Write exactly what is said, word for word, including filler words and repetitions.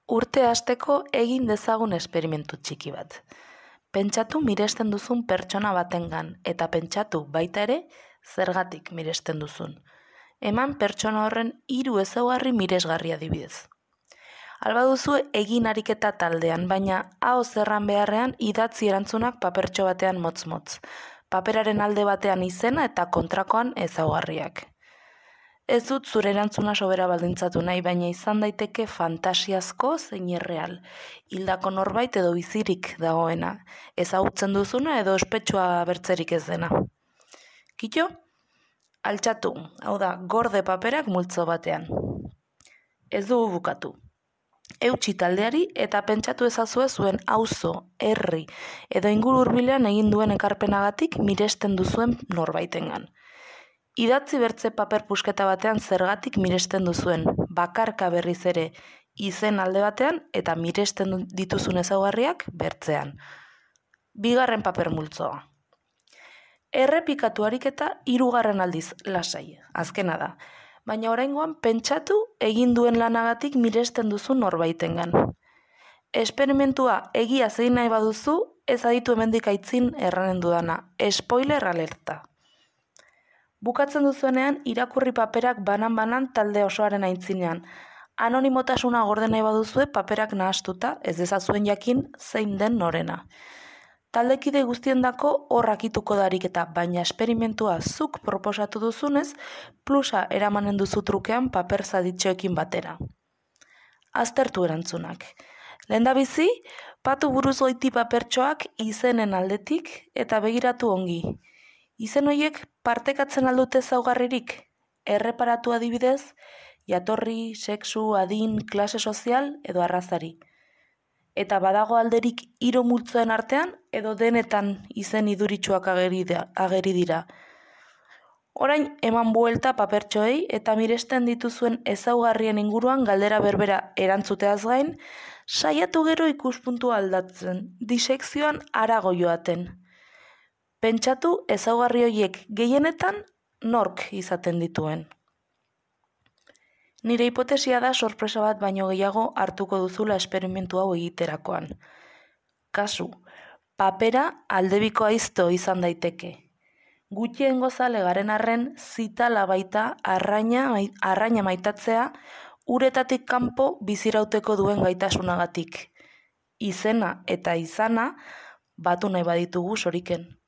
Urte hasteko egin dezagun esperimentu txiki bat. Pentsatu miresten duzun pertsona batengan eta pentsatu baita ere zergatik miresten duzun. Eman pertsona horren hiru ezaugarri miresgarri adibidez. Alba duzu egin ariketa taldean, baina ahoz erran beharrean idatzi erantzunak papertxo batean motz-motz. Paperaren alde batean izena eta kontrakoan ezaugarriak. Ez dut zure erantzuna sobera baldintzatu nahi, baina izan daiteke fantasiazko zein erreal. Hildako norbait edo bizirik dagoena, ezagutzen duzuna edo ospetsua bertzerik ez dena. Kito? Altxatu, hau da, gorde paperak multzo batean. Ez dugu bukatu. Eutsi taldeari eta pentsatu ezazue zuen auzo, herri edo inguru hurbilean egin duen ekarpenagatik miresten duzuen norbaitengan. Idatzi bertze paper pusketa batean zergatik miresten duzuen, bakarka berriz ere izen alde batean eta miresten dituzun ezaugarriak bertzean. Bigarren paper multzoa. Errepikatu ariketa hirugarren aldiz lasai, azkena da. Baina oraingoan pentsatu egin duen lanagatik miresten duzu norbaitengan. Esperimentua egia zein nahi baduzu, ez aditu hemendik aitzin erranen dudana. Spoiler alerta. Bukatzen duzuenean irakurri paperak banan-banan talde osoaren aintzinean. Anonimotasuna gorde nahi baduzue paperak nahastuta, ez dezazuen jakin zein den norena. Taldekide guztiendako horrakituko dariketa, baina esperimentua zuk proposatu duzunez, plusa eramanen duzu trukean paper zaditxoekin batera. Aztertu erantzunak. Lehendabizi, patu buruz goiti papertxoak izenen aldetik eta begiratu ongi. Izen horiek partekatzen aldute ezaugarririk, erreparatu adibidez, jatorri, sexu, adin, klase sozial edo arrazari. Eta badago alderik hiru multzoen artean edo denetan izen iduritsuak ageri dira. Orain eman buelta papertxoei eta miresten dituzuen ezaugarrien inguruan galdera berbera erantzuteaz gain, saiatu gero ikuspuntua aldatzen, disekzioan harago joaten. Pentsatu ezaugarri horiek gehienetan nork izaten dituen. Nire hipotesia da sorpresa bat baino gehiago hartuko duzula esperimentu hau egiterakoan. Kasu, papera aldebiko aizto izan daiteke. Gutxien gozale garen arren zitala baita arraina, arraina maitatzea uretatik kanpo bizirauteko duen gaitasunagatik. Izena eta izana batu nahi baditugu soriken.